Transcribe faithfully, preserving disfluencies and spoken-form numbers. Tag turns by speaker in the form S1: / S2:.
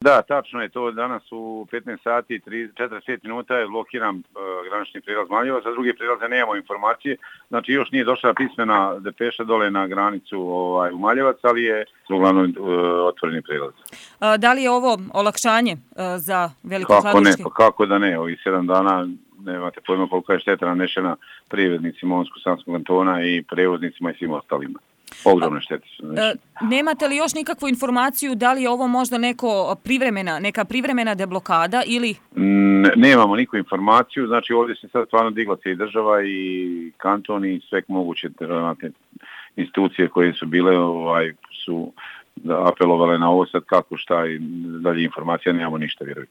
S1: Da, tačno je to. Danas u petnaest sati i četrdeset pet minuta je blokiran uh, granični prijelaz Maljevac, za druge prijelaze nemamo informacije. Znači još nije došla pismena depeša dole na granicu ovaj, u Maljevac, ali je uglavnom uh, otvoreni prijelaz.
S2: A, da li je ovo olakšanje uh, za Veliko
S1: kako
S2: Kladuški?
S1: Ne, pa kako da ne, ovih sedam dana nemate pojma koliko je šteta nanešena privrednicima Montsko-Sanskog kantona i prevoznicima i svim ostalima. Ogromne štete su nanešene.
S2: Nemate li još nikakvu informaciju da li je ovo možda neko privremena, neka privremena deblokada ili...
S1: Ne, nemamo nikakvu informaciju, znači ovdje se sad stvarno digla se i država i kanton i sve moguće institucije koje su bile ovaj, su apelovale na ovo sad kako šta i dalje informacija, nemamo ništa, vjerujem.